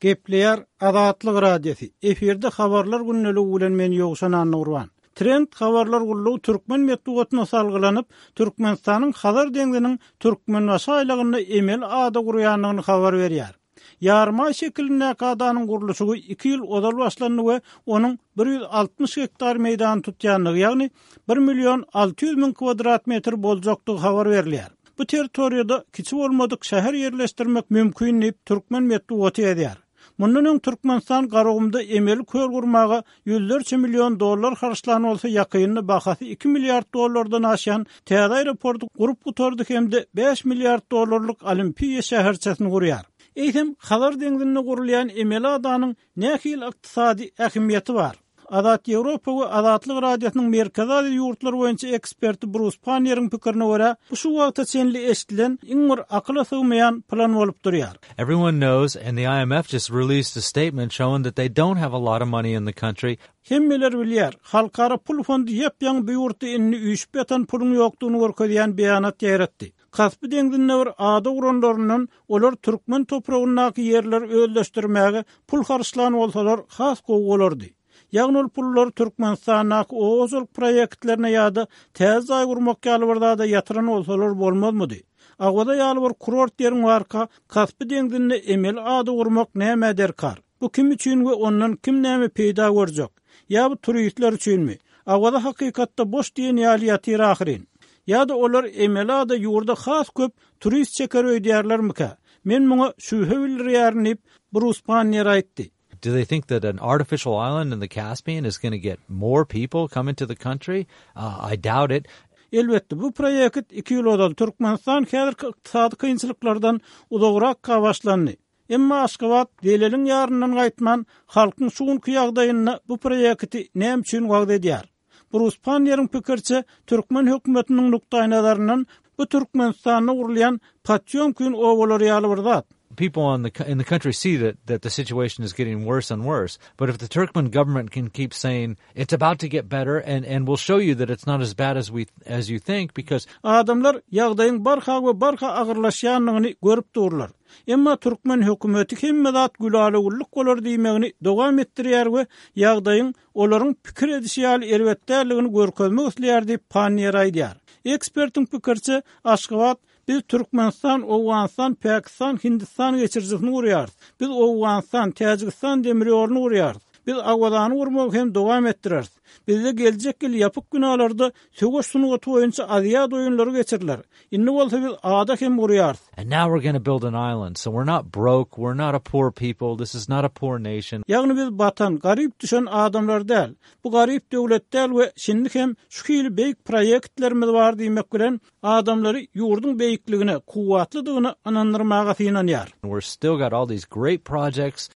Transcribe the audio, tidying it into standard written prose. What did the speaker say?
Gepleýär Azatlyk Radiosy, efirde Habarlar gündeligi bilen men Ýowşan Annagurban. Trend habarlar gullugy türkmen metbugatyna salgylanyp, Türkmenistanyň Hazar deňziniň Türkmenbaşy aýlagynda emeli ada gurýandygyny habar berýär. Ýarymaý şekilindäki adanyň gurluşygy iki ýyl ozal başlandy we onuň 160 gektar meýdany tutýandygy, ýagny bir million 600 müň kwadrat metr boljakdygy habar berilýär. Bu territoriýada kiçi bolmadyk şäher ýerleşdirmek mümkin diýip, türkmen metbugaty ýazýar. Mundan öň Türkmenistan Garagumda emeli köl gurmaga ýüzlerçe million dollar harçlan bolsa, ýakynda bahasy iki milliard dollardan aşýan täze aeroporty gurup gutardy hem-de bäş milliard dollarlyk Olimpiýa şäherçesini gurýar. Eýsem, Hazar deňzinde gurulýan emeli adanyň nähili ykdysady ähmiýeti bar? Azat Ýewropa we Azatlyk Radiosynyň Merkezi Aziýa ýurtlary boýunça eksperti Brus Panniýeriň pikirine görä, bu şu wagta çenli eşidilen iň bir akyla sygmaýan plan bolup durýar. Everyone knows and the IMF just released a statement showing that they don't have a lot of money in the country. Hemmeler bilýär, Halkara pul fondy ýap-ýaňy bu ýurtda indi üýşüp ýatan puluň ýokdugyny görkezýän beýanat ýaýratdy. Kaspi deňzinde bir ada guranlaryndan olar türkmen topragyndaky ýerleri özleşdirmäge pul harçlan bolsalar has gowy bolardy. Ýagny ol pullary Türkmenistandaky oba hojalyk proýektlerine ýa-da täze jaý gurmak ýaly bir zada ýatyran bolsalar bolmazmydy? Awaza ýaly bir kurort ýeriň barka Kaspi deňzinde emeli ada gurmak nämä derkar? Bu kim üçin we ondan kim näme peýda görjek? Ýa bu turistler üçinmi? Awaza hakykatda boş diýen ýaly ýatyr ahyryn. Ýa-da olar emeli ada ýurda has köp turist çeker öýdýärlermikä? Men muňa şübhe bildirýärin diýip, Brus Panniýer aýtdy. Do they think that an artificial island in the Caspian is gonna get more people coming to the country? I doubt it. Elbetde, bu proýekt iki ýyl ozal, Türkmenistan häzirki ykdysady kynçylyklardan uzagrakka başlandy. Emma Aşgabat zeleliň ýaryndan gaýtman, halkyň şu günki ýagdaýynda bu proýekti näme üçin wagyz edýär? Brus Panniýeriň pikiriçe, türkmen hökümetiniň nukdaýnazaryndan bu Türkmenistanda gurulýan Potýomkin obalary ýaly bir zat. People on the in the country see that that the situation is getting worse and worse, but if the Turkmen government can keep saying it's about to get better and and we'll show you that it's not as bad as we as you think because Adamlar ýagdaýyň barha we barha agyrlaşýandygyny görüp durlar. Emma türkmen hökümeti hemme zat gülala-güllük bolar diýmegini dowam etdirýär we ýagdaýyň olaryň pikir edişi ýaly erbet däldigini görkezmek isleýär diýip, Panniýer aýdýar. Ekspertiň pikiriçe, Aşgabat Biz Türkmenistan, Owganystan, Pakistan, Hindistan geçirijisini gurýarys. Biz Owganystan, Täjigistan demir ýoluny gurýarys. Biz Awazany gurmagy hem dowam etdireris. Bizde geljek ýyl ýapyk binalarda söweş sungaty boýunça Aziada oýunlary geçiriler. Indi bolsa biz ada hem gurýarys. And now we're gonna build an island, so we're not broke, we're not a poor people, this is not a poor nation. Ýagny biz batan, garyp düşen adamlar däl. Bu garyp döwlet däl we şindi hem şu hili beýik proýektlerimiz bar diýmek bilen, adamlary ýurduň beýikligine, kuwwatlydygyna ynandyrmaga synanýar. We're still got all these great projects.